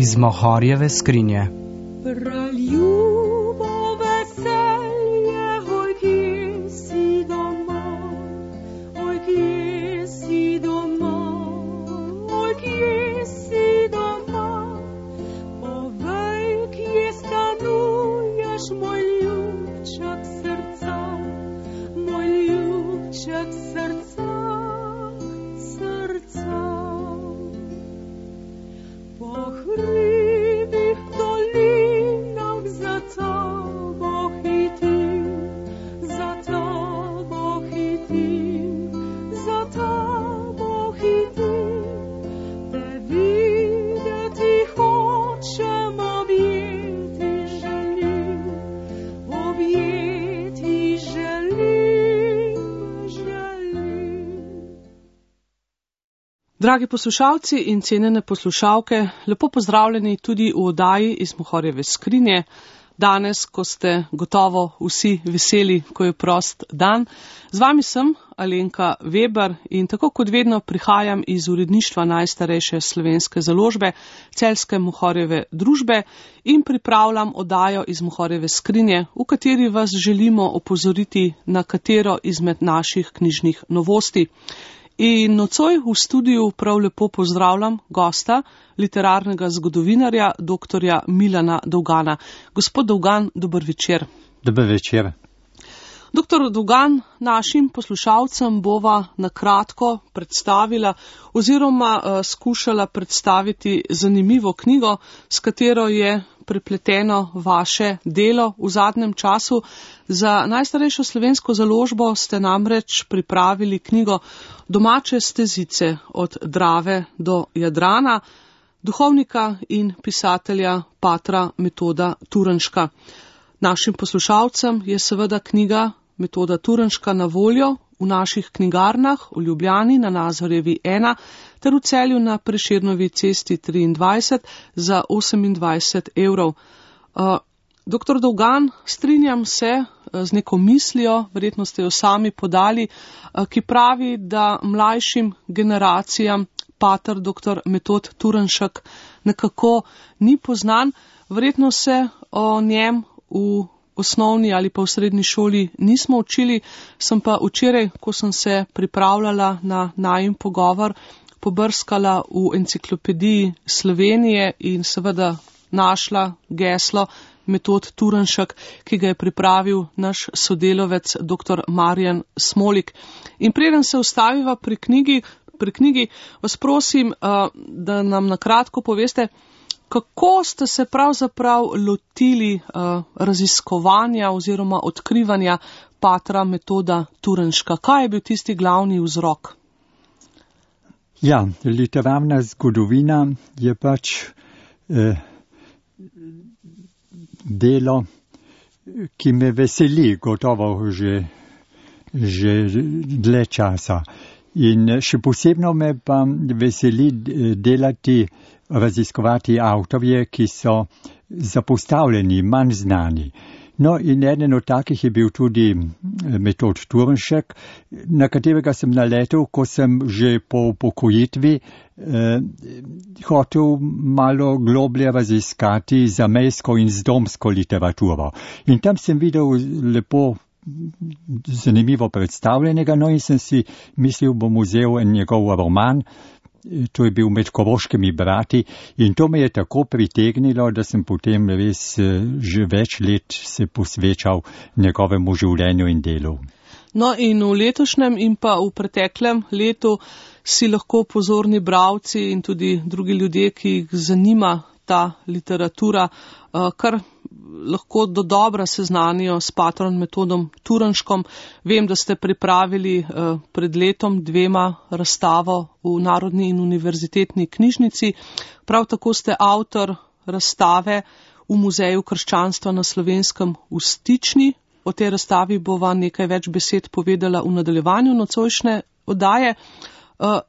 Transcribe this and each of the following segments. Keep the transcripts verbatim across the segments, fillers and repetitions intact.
iz Mohorjeve skrinje. Dragi poslušalci in cenjene poslušalke, lepo pozdravljeni tudi v oddaji iz Mohorjeve skrinje. Danes, ko ste gotovo vsi veseli, ko je prost dan. Z vami sem Alenka Weber in tako kot vedno prihajam iz uredništva najstarejše slovenske založbe, Celjske Mohorjeve družbe, in pripravljam oddajo iz Mohorjeve skrinje, v kateri vas želimo opozoriti na katero izmed naših knjižnih novosti. In nocoj v studiu prav lepo pozdravljam gosta, literarnega zgodovinarja, doktorja Milana Dolgana. Gospod Dolgan, dober večer. Dober večer. Doktor Dolgan, našim poslušalcem bova na kratko predstavila oziroma uh, skušala predstaviti zanimivo knjigo, s katero je prepleteno vaše delo v zadnjem času. Za najstarejšo slovensko založbo ste namreč pripravili knjigo Domače stezice od Drave do Jadrana, duhovnika in pisatelja patra Metoda Turnška. Našim poslušalcem je seveda knjiga Metoda Turnška na voljo v naših knjigarnah v Ljubljani na Nazorjevi ena ter v Celju na Prešernovi cesti triindvajset za osemindvajset evrov. Uh, Doktor Dolgan, strinjam se z neko mislijo, verjetno ste jo sami podali, ki pravi, da mlajšim generacijam pater doktor Metod Turnšek nekako ni poznan. Verjetno se o njem v osnovni ali pa v srednji šoli nismo učili, sem pa včeraj, ko sem se pripravljala na najin pogovor, pobrskala v enciklopediji Slovenije in seveda našla geslo Metod Turnšek, ki ga je pripravil naš sodelovec dr. Marjan Smolik. In preden se ustaviva pri knjigi, pri knjigi, vas prosim, da nam na kratko poveste, kako ste se pravzaprav lotili raziskovanja oziroma odkrivanja patra Metoda Turnška. Kaj je bil tisti glavni vzrok? Ja, literarna zgodovina je pač eh, delo, ki me veseli gotovo že, že dlje časa. In še posebno me pa veseli delati, raziskovati avtorje, ki so zapostavljeni, manj znani. No, in eden od takih je bil tudi Metod Turnšek, na katerega sem naletel, ko sem že po upokojitvi eh, hotel malo globlje raziskati zamejsko in zdomsko literaturo. In tam sem videl lepo zanimivo predstavljenega, no in sem si mislil, bom vzel njegov roman. To je bil Med koroškimi brati in to me je tako pritegnilo, da sem potem res že več let se posvečal njegovemu življenju in delu. No in v letošnjem in pa v preteklem letu si lahko pozorni bralci in tudi drugi ljudje, ki jih zanima ta literatura, kar lahko do dobra seznanijo s patrom Metodom Turnškom. Vem, da ste pripravili pred letom dvema razstavo v Narodni in univerzitetni knjižnici. Prav tako ste avtor razstave v Muzeju krščanstva na Slovenskem v Stični. O tej razstavi bova nekaj več besed povedala v nadaljevanju nocojšnje oddaje.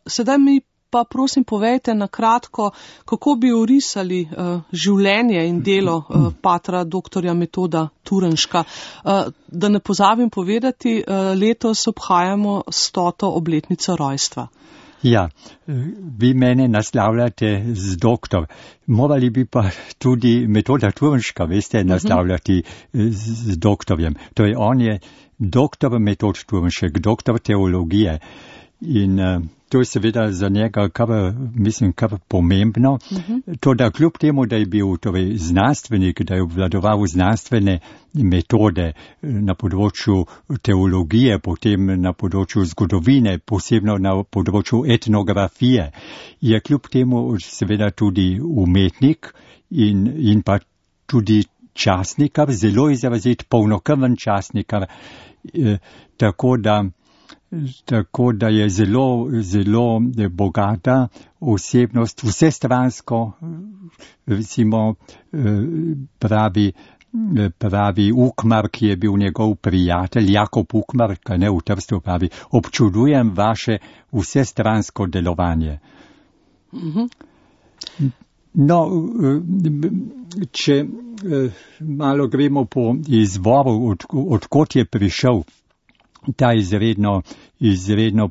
Sedaj mi pa prosim povejte na kratko, kako bi orisali uh, življenje in delo uh, patra doktorja Metoda Turnška. Uh, da ne pozabim povedati, uh, letos obhajamo stoto obletnico rojstva. Ja, vi mene naslavljate z doktor. Morali bi pa tudi Metoda Turnška, veste, naslavljati z, z doktorjem. Torej, on je doktor Metod Turnšek, doktor teologije. In uh, to je seveda za njega, kar, mislim, kar pomembno. Uh-huh. To, da kljub temu, da je bil torej, znanstvenik, da je obvladoval znanstvene metode na področju teologije, potem na področju zgodovine, posebno na področju etnografije, je kljub temu seveda tudi umetnik in, in pa tudi časnikar, zelo izrazit, polnokrven časnikar, eh, tako da Tako da je zelo, zelo bogata osebnost, vsestransko, recimo pravi, pravi Ukmar, ki je bil njegov prijatelj, Jakob Ukmar, kaj ne v Trstu pravi, občudujem vaše vsestransko delovanje. No, če malo gremo po izvoru, od, odkot je prišel ta izredno, izredno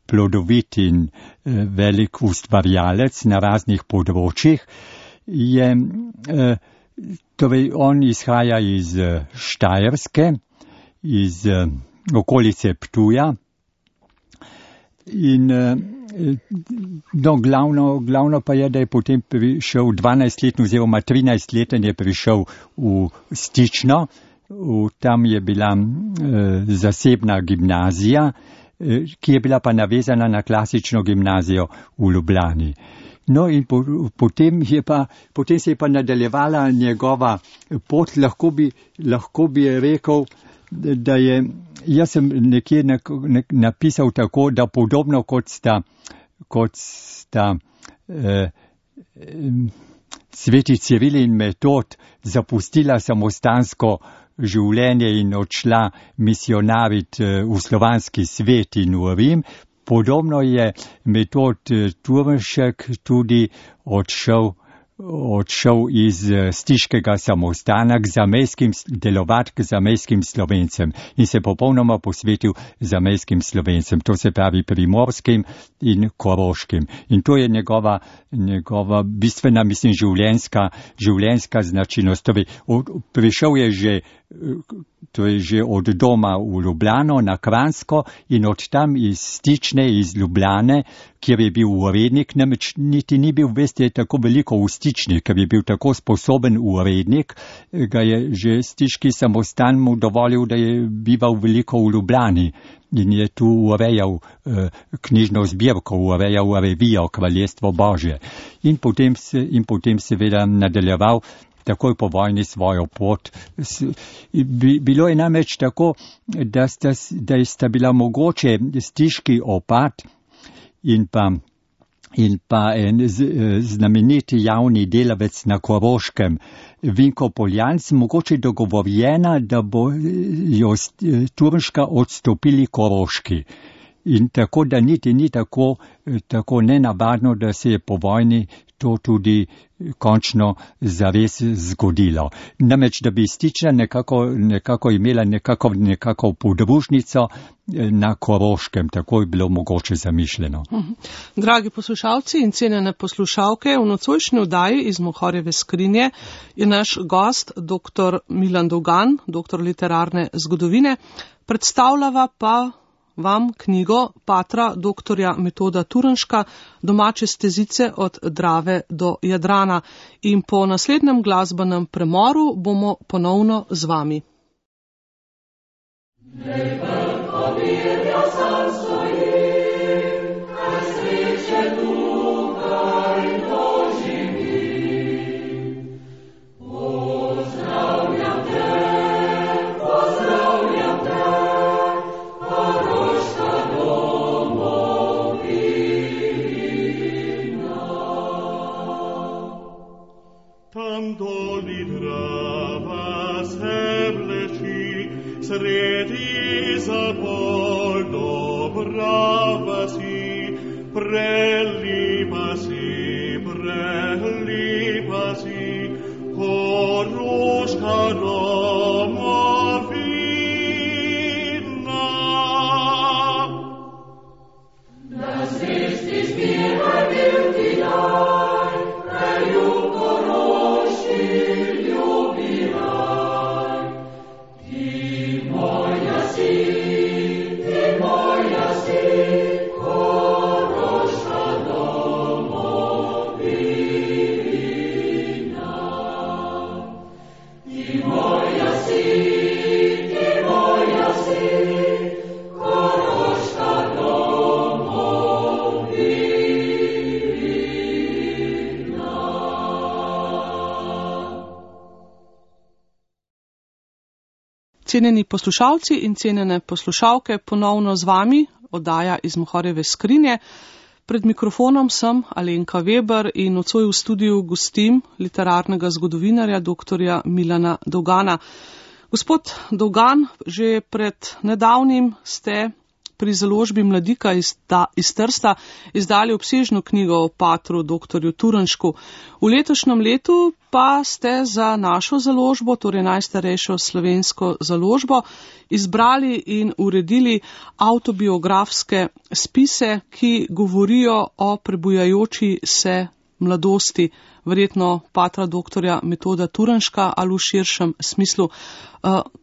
plodovit in eh, velik ustvarjalec na raznih področjih, je, eh, torej on izhaja iz eh, Štajerske, iz eh, okolice Ptuja in eh, no, glavno, glavno pa je, da je potem prišel dvanajstletni oziroma trinajstleten je prišel v Stično. V, tam je bila e, zasebna gimnazija, e, ki je bila pa navezana na klasično gimnazijo v Ljubljani. No in po, potem, je pa, potem se je pa nadaljevala njegova pot, lahko bi, lahko bi rekel, da je, jaz sem nekje nek, nek, napisal tako, da podobno kot sta, kot sta e, e, sveti Ciril in Metod zapustila samostansko življenje in odšla misionarit v slovanski svet in v Rim. Podobno je Metod Turnšek tudi odšel, odšel iz stiškega samostana k zamejskim, delovat k zamejskim Slovencem in se popolnoma posvetil zamejskim Slovencem, to se pravi primorskim in koroškim. In to je njegova, njegova bistvena, mislim, življenjska, življenjska značilnost. Torej, prišel je že To je že od doma v Ljubljano na Kranjsko in od tam iz Stične, iz Ljubljane, kjer je bil urednik, namreč niti ni bil, veste, tako veliko v Stični, ker je bil tako sposoben urednik, ga je že stiški samostan mu dovolil, da je bival veliko v Ljubljani in je tu urejal eh, knjižno zbirko, urejal revijo Kraljestvo Božje. In potem, se, in potem seveda nadaljeval takoj po vojni svojo pot. Bilo je namreč tako, da sta, da sta bila mogoče stiški opat in pa, in pa en znameniti javni delavec na Koroškem, Vinko Poljanc, mogoče dogovorjena, da bo jo Turnška odstopili Koroški. In tako, da niti ni tako, tako nenavadno, da se je po vojni to tudi končno zares zgodilo. Namreč, da bi Stična nekako, nekako imela nekako, nekako podružnico na Koroškem, tako je bilo mogoče zamišljeno. Dragi poslušalci in cenjene poslušalke, v nocojšnji oddaji iz Mohorjeve skrinje je naš gost dr. Milan Dugan, doktor literarne zgodovine, predstavljava pa vam knjigo patra doktorja Metoda Turnška, Domače stezice od Drave do Jadrana. In po naslednjem glasbenem premoru bomo ponovno z vami. Sredi zabol dobrava si, prelipa si, prelipa si, Koroška domovina. Na zvesti cenjeni poslušalci in cenjene poslušalke, ponovno z vami oddaja iz Mohorjeve skrinje. Pred mikrofonom sem Alenka Weber in nocoj v studiu gostim literarnega zgodovinarja doktorja Milana Dovgana. Gospod Dovgan, že pred nedavnim ste pri založbi Mladika iz, ta, iz Trsta izdali obsežno knjigo o patru doktorju Turnšku. V letošnjem letu pa ste za našo založbo, torej najstarejšo slovensko založbo, izbrali in uredili avtobiografske spise, ki govorijo o prebujajoči se mladosti, verjetno patra doktorja Metoda Turnška ali v širšem smislu.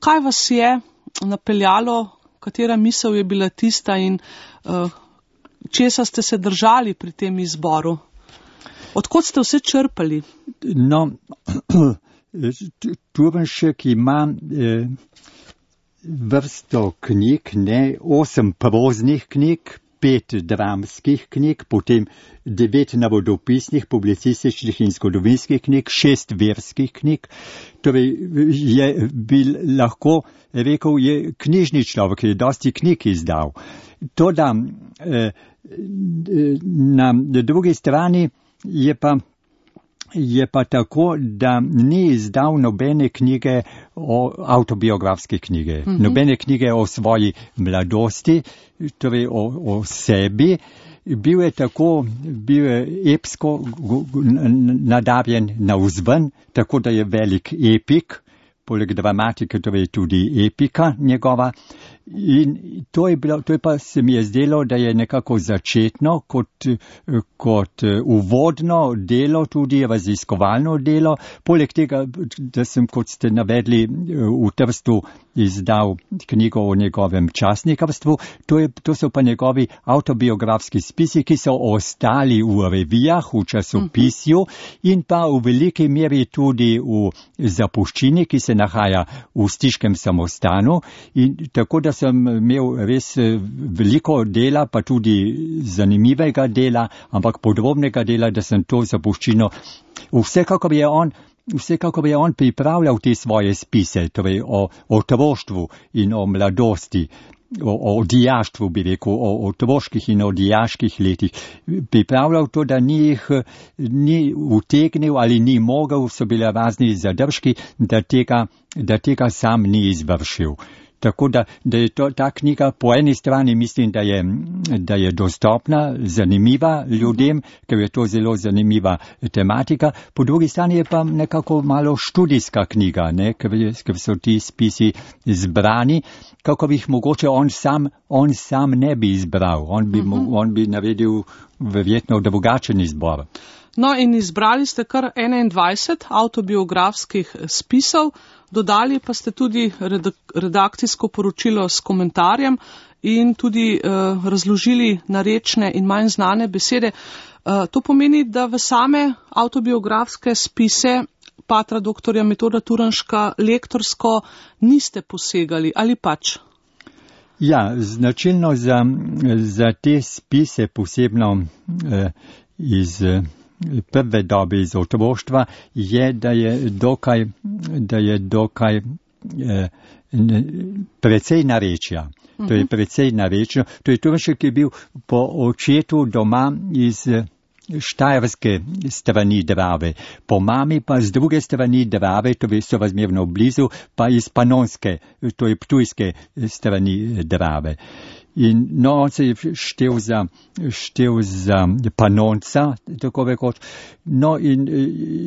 Kaj vas je napeljalo, katera misel je bila tista in uh, česa ste se držali pri tem izboru? Odkot ste vse črpali? No, Turnšek ima eh, vrsto knjig, ne, osem proznih knjig, pet dramskih knjig, potem devet navodopisnih, publicističnih in zgodovinskih knjig, šest verskih knjig. Torej je bil lahko rekel, je knjižni človek, je dosti knjig izdal. Toda eh, na drugi strani je pa Je pa tako, da ni izdal nobene knjige, o avtobiografske knjige, mm-hmm. nobene knjige o svoji mladosti, torej o, o sebi. Bil je tako, bil je epsko nadarjen navzven, tako da je velik epik, poleg dramatike, torej tudi epika njegova. In to je, bilo, to je pa se mi je zdelo, da je nekako začetno, kot, kot uvodno delo, tudi raziskovalno delo. Poleg tega, da sem, kot ste navedli, v Trstu izdal knjigo o njegovem časnikarstvu, to, je, to so pa njegovi avtobiografski spisi, ki so ostali v revijah, v časopisju in pa v veliki meri tudi v zapuščini, ki se nahaja v Stiškem samostanu. In tako da sem imel res veliko dela, pa tudi zanimivega dela, ampak podrobnega dela, da sem to zapuščino. Vsekakor je on, vsekakor je on pripravljal te svoje spise, torej o otroštvu in o mladosti, o, o dijaštvu, bi rekel, o otroških in o dijaških letih. Pripravljal to, da ni jih ni utegnil ali ni mogel, so bile razni zadržki, da tega, da tega sam ni izvršil. Tako da, da je to, ta knjiga po eni strani mislim, da je, da je dostopna, zanimiva ljudem, ker je to zelo zanimiva tematika. Po drugi strani je pa nekako malo študijska knjiga, ne, ker, je, ker so ti spisi zbrani, kako bi jih mogoče on sam, on sam ne bi izbral. On bi, uh-huh. on bi naredil verjetno drugačen izbor. No in izbrali ste kar enaindvajset avtobiografskih spisov, dodali pa ste tudi redakcijsko poročilo s komentarjem in tudi uh, razložili narečne in manj znane besede. Uh, to pomeni, da v same avtobiografske spise patra doktorja Metoda Turnška lektorsko niste posegali, ali pač? Ja, značilno za, za te spise, posebno uh, iz prve dobe iz otroštva, je, da je dokaj, da je dokaj eh, precej narečja. Uh-huh. To je precej narečno. To je Turnšek, ki je bil po očetu doma iz štajerske strani Drave, po mami pa z druge strani Drave, to je sorazmerno blizu, pa iz panonske, to je ptujske strani Drave. In no, on se je štel za, štel za panonca, tako rekoč. No in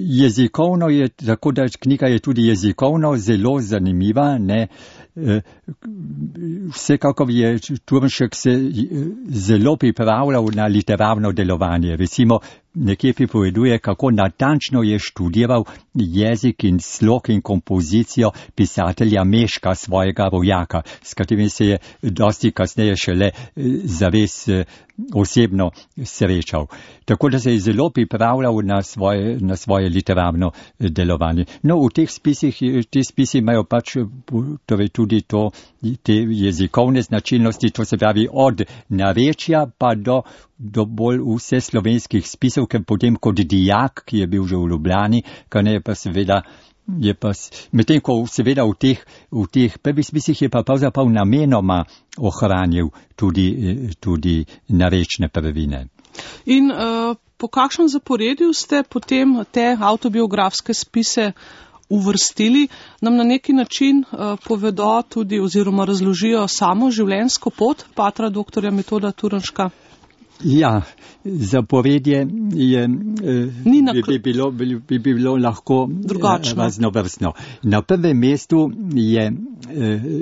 jezikovno je, tako da knjiga je tudi jezikovno zelo zanimiva, ne. Vsekakor je Turnšek se zelo pripravljal na literarno delovanje. Recimo, nekje pripoveduje, kako natančno je študiral jezik in slog in kompozicijo pisatelja Meška, svojega rojaka, s katerim se je dosti kasneje šele zares osebno srečal. Tako da se je zelo pripravljal na svoje, na svoje literarno delovanje. No, v teh spisih, te spisi imajo pač torej tudi to, te jezikovne značilnosti, to se pravi od narečja pa do, do bolj vse slovenskih spisov, ker potem kot dijak, ki je bil že v Ljubljani, kar ne pa seveda je pa, medtem ko seveda v teh, v teh prvih spisih je pa pravzaprav namenoma ohranil tudi, tudi narečne prvine. In uh, po kakšnem zaporedju ste potem te avtobiografske spise uvrstili, nam na neki način uh, povedo tudi oziroma razložijo samo življenjsko pot patra doktorja Metoda Turnška? Ja, zaporedje je, bi, bi, bilo, bi, bi bilo lahko drugačno, raznovrstno. Na prvem mestu je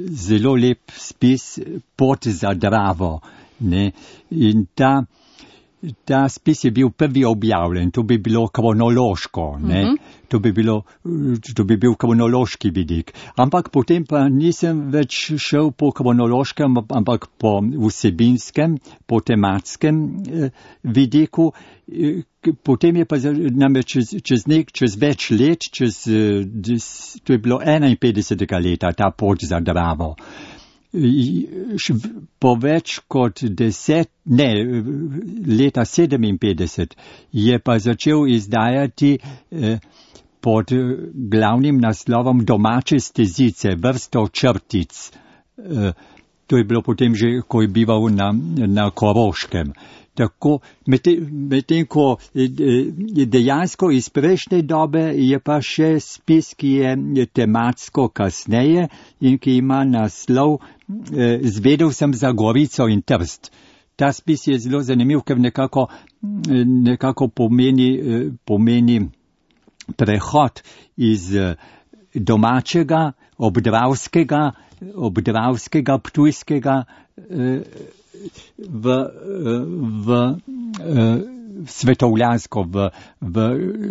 zelo lep spis Pot za Dravo. Ne? In ta, ta spis je bil prvi objavljen, to bi bilo kronološko, ne? Uh-huh. To bi bilo, to bi bil kronološki vidik. Ampak potem pa nisem več šel po kronološkem, ampak po vsebinskem, po tematskem eh, vidiku. Potem je pa namreč čez, čez, nek, čez več let, čez, to je bilo enainpetdesetega leta, ta Pot za Dravo. Po več kot deset, ne, leta sedeminpetdeset je pa začel izdajati eh, pod glavnim naslovom Domače stezice, vrsto črtic. Eh, to je bilo potem že, ko je bival na, na Koroškem. Tako, medtem, medtem ko dejansko iz prejšnje dobe je pa še spis, ki je tematsko kasneje in ki ima naslov eh, Zvedel sem za Gorico in Trst. Ta spis je zelo zanimiv, ker nekako, nekako pomeni, pomeni prehod iz domačega, obdravskega, obdravskega, ptujskega eh, v, v, v svetovljansko, v, v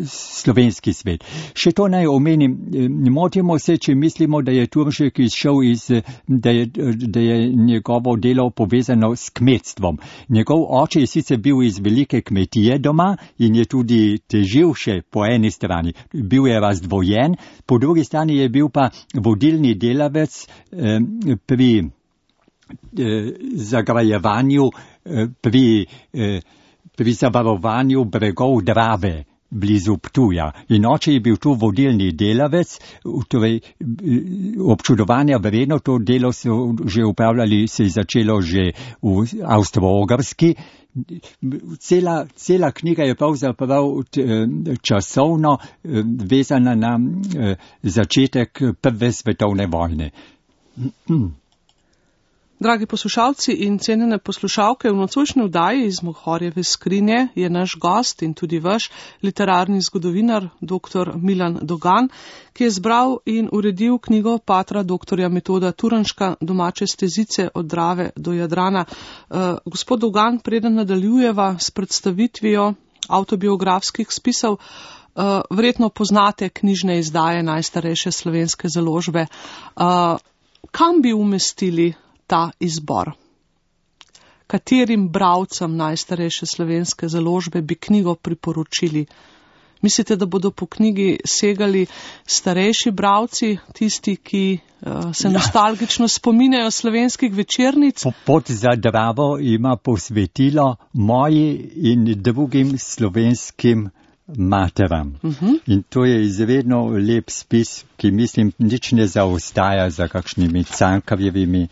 slovenski svet. Še to naj omenim, ne motimo se, če mislimo, da je Turnšek izšel iz, da je, da je njegovo delo povezano s kmetstvom. Njegov oče je sicer bil iz velike kmetije doma in je tudi težil še po eni strani. Bil je razdvojen, po drugi strani je bil pa vodilni delavec eh, pri zagrajevanju, pri, pri zavarovanju bregov Drave blizu Ptuja. In oče je bil tu vodilni delavec, torej občudovanja vredno, to delo so že upravljali, se je začelo že v Avstro-Ogrski. Cela, cela knjiga je pravzaprav časovno vezana na začetek Prve svetovne vojne. Dragi poslušalci in cenjene poslušalke, v nocojšnji vdaji iz Mohorjeve skrinje je naš gost in tudi vaš literarni zgodovinar dr. Milan Dogan, ki je zbral in uredil knjigo patra doktorja Metoda Turnška Domače stezice od Drave do Jadrana. Uh, gospod Dogan, preden nadaljujeva s predstavitvijo avtobiografskih spisov, uh, verjetno poznate knjižne izdaje najstarejše slovenske založbe. Uh, kam bi umestili ta izbor? Katerim bralcem najstarejše slovenske založbe bi knjigo priporočili? Mislite, da bodo po knjigi segali starejši bralci, tisti, ki uh, se ja. nostalgično spominjajo slovenskih večernic? Pot za Dravo ima posvetilo moji in drugim slovenskim materam. Uh-huh. In to je izredno lep spis, ki mislim nič ne zaostaja za kakšnimi Cankarjevimi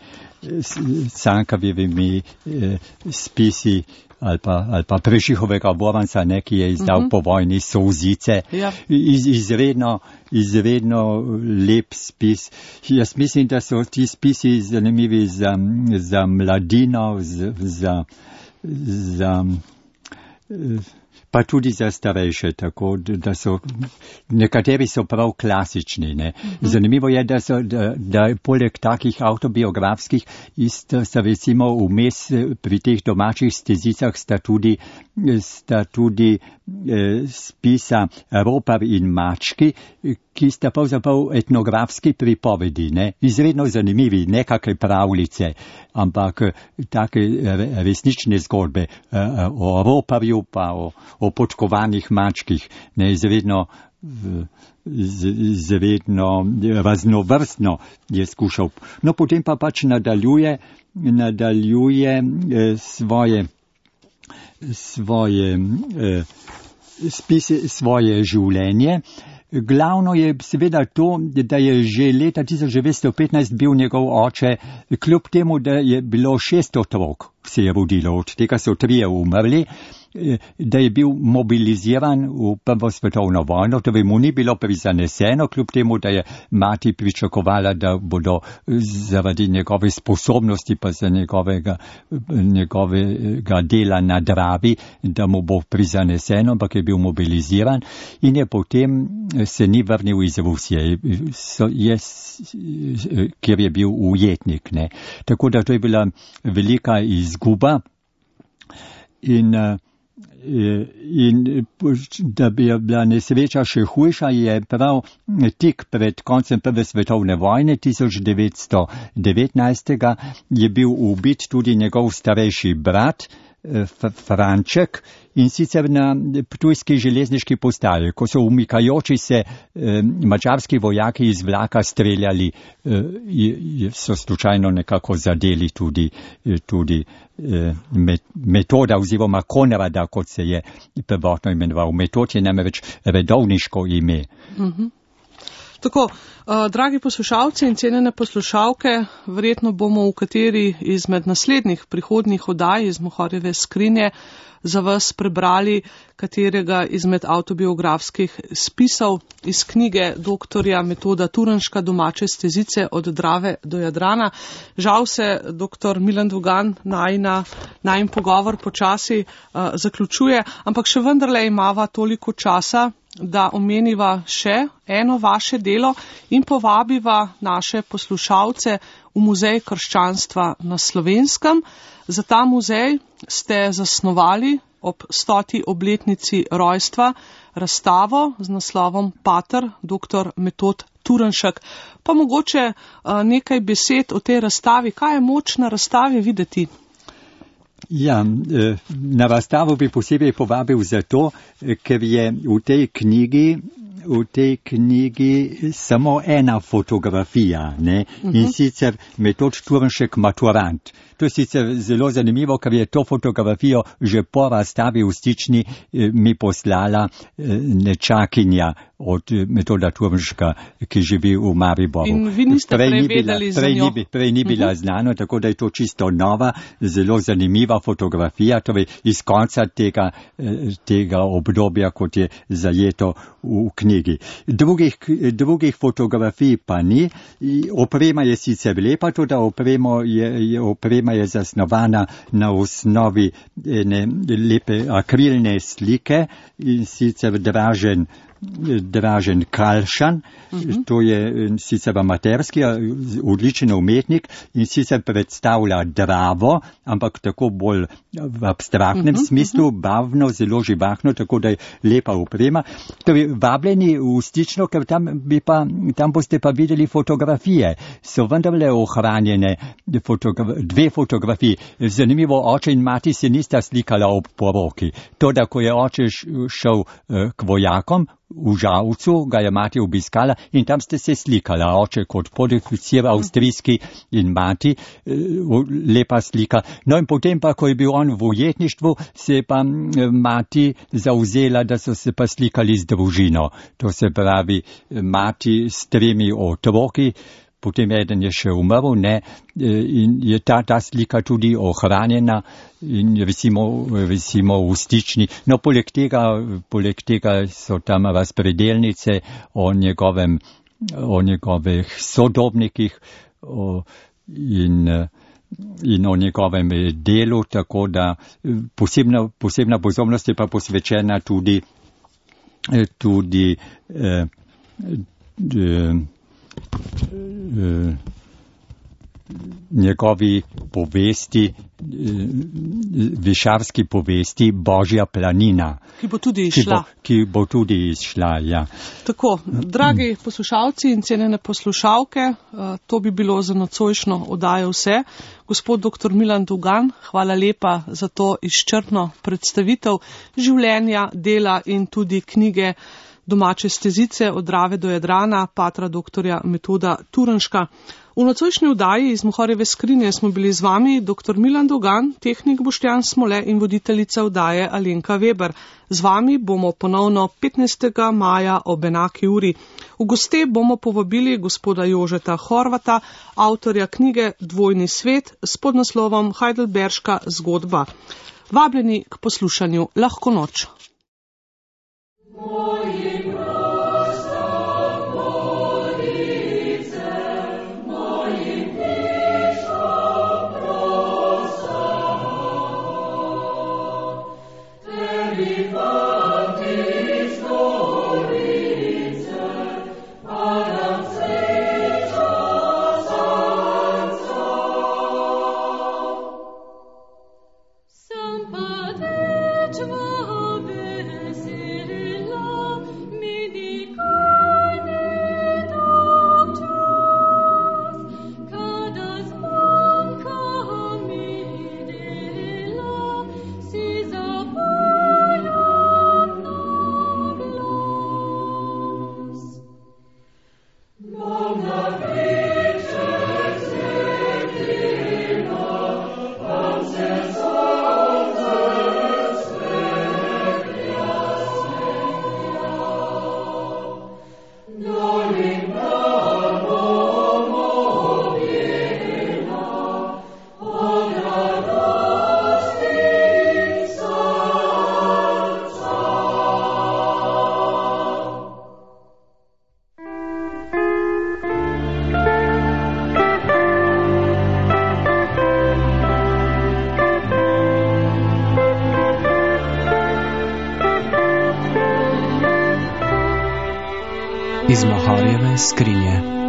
Cankavjevimi eh, spisi ali pa, ali pa Prešihovega Voranca, ne, ki je izdal uh-huh. po vojni Solzice. Ja. Iz, izredno, izredno lep spis. Jaz mislim, da so ti spisi zanimivi za, za mladino, za, za, za pa tudi za starejše, tako da so, nekateri so prav klasični, ne. Zanimivo je, da so, da, da poleg takih avtobiografskih isto sta recimo vmes pri teh domačih stezicah sta tudi, sta tudi eh, spisa Ropar in mački, ki sta pravzaprav etnografski pripovedi, ne, izredno zanimivi, nekakve pravljice, ampak take resnične zgodbe eh, o Roparju pa o o podkovanih mačkih, ne, izredno, izredno raznovrstno je skušal. No, potem pa pač nadaljuje, nadaljuje eh, svoje, svoje, eh, spise, svoje življenje. Glavno je seveda to, da je že leta tisoč devetsto petnajst bil njegov oče, kljub temu, da je bilo šest otrok, se je rodilo, od tega so trije umrli, da je bil mobiliziran v prvo svetovno vojno, torej mu ni bilo prizaneseno, kljub temu, da je mati pričakovala, da bodo zaradi njegove sposobnosti pa za njegovega, njegovega dela na Dravi, da mu bo prizaneseno, ampak je bil mobiliziran in je potem se ni vrnil iz Rusije, so, je, kjer je bil ujetnik. Ne. Tako da to je bila velika izguba in In da bi bila nesreča še hujša, je prav tik pred koncem prve svetovne vojne tisoč devetsto devetnajst je bil ubit tudi njegov starejši brat Franček in sicer na ptujski železniški postaji, ko so umikajoči se eh, mačarski vojaki iz vlaka streljali, eh, so slučajno nekako zadeli tudi, tudi eh, Metoda oziroma Konrada, kot se je prvotno imenoval. Metod je namreč redovniško ime. Mhm. Tako, uh, dragi poslušalci in cenjene poslušalke, verjetno bomo v kateri izmed naslednjih prihodnjih oddaj iz Mohorjeve skrinje za vas prebrali katerega izmed avtobiografskih spisov iz knjige doktorja Metoda Turnška Domače stezice od Drave do Jadrana. Žal se doktor Milan Dugan najna, najin pogovor počasi uh, zaključuje, ampak še vendarle imava toliko časa, da omeniva še eno vaše delo in povabiva naše poslušalce v Muzej krščanstva na Slovenskem. Za ta muzej ste zasnovali ob stoti obletnici rojstva razstavo z naslovom Pater doktor Metod Turnšek. Pa mogoče uh, nekaj besed o tej razstavi. Kaj je moč na razstavi videti? Ja, na razstavo bi posebej povabil zato, ker je v tej knjigi, v tej knjigi samo ena fotografija, ne? Uh-huh. In sicer Metod Turnšek maturant. To je sicer zelo zanimivo, ker je to fotografijo že po razstavi v Stični mi poslala nečakinja od Metoda Turnška, ki živi v Mariboru. In vi niste prej, prej vedeli za njo? Prej, prej ni bila uh-huh. znano, tako da je to čisto nova, zelo zanimiva fotografija, torej iz konca tega, tega obdobja, kot je zajeto v knjigi. Drugih, drugih fotografij pa ni. Oprema je sicer lepa, tudi oprema je, je, oprema je zasnovana na osnovi ene lepe akrilne slike in sicer Dražen Dražen Kalšan, uh-huh. To je sicer amaterski, odličen umetnik in sicer predstavlja Dravo, ampak tako bolj v abstraktnem uh-huh. smislu, barvno, zelo živahno, tako da je lepa oprema. Torej, vabljeni v Stično, ker tam, bi pa, tam boste pa videli fotografije. So vendarle ohranjene fotogra- dve fotografiji. Zanimivo, oče in mati se nista slikala ob poroki. To, da ko je oče šel uh, k vojakom, v Žalcu ga je mati obiskala in tam ste se slikala, oče kot podoficir avstrijski in mati, lepa slika. No in potem pa, ko je bil on v ujetništvu, se je pa mati zauzela, da so se pa slikali z družino. To se pravi, mati s tremi otroki, potem eden je še umrl, ne, in je ta, ta slika tudi ohranjena in recimo, recimo v Stični. No, poleg tega, poleg tega so tam razpredelnice o njegovem, o njegovih sodobnikih o, in, in o njegovem delu, tako da posebna, posebna pozornost je pa posvečena tudi, tudi eh, eh, njegovi povesti, višarski povesti Božja planina. Ki bo tudi izšla. Ki bo, ki bo tudi izšla, ja. Tako, dragi poslušalci in cenjene poslušalke, to bi bilo za nocojšnjo oddajo vse. Gospod doktor Milan Dugan, hvala lepa za to izčrpno predstavitev življenja, dela in tudi knjige Domače stezice od Drave do Jadrana, patra doktorja Metoda Turnška. V nocojšnji vdaji iz Mohorjeve skrinje smo bili z vami dr. Milan Dogan, tehnik Boštjan Smole in voditeljica vdaje Alenka Weber. Z vami bomo ponovno petnajstega maja ob enaki uri. V goste bomo povabili gospoda Jožeta Horvata, avtorja knjige Dvojni svet s podnaslovom Heidelberška zgodba. Vabljeni k poslušanju. Lahko noč. Iz Mohorjeve skrinje.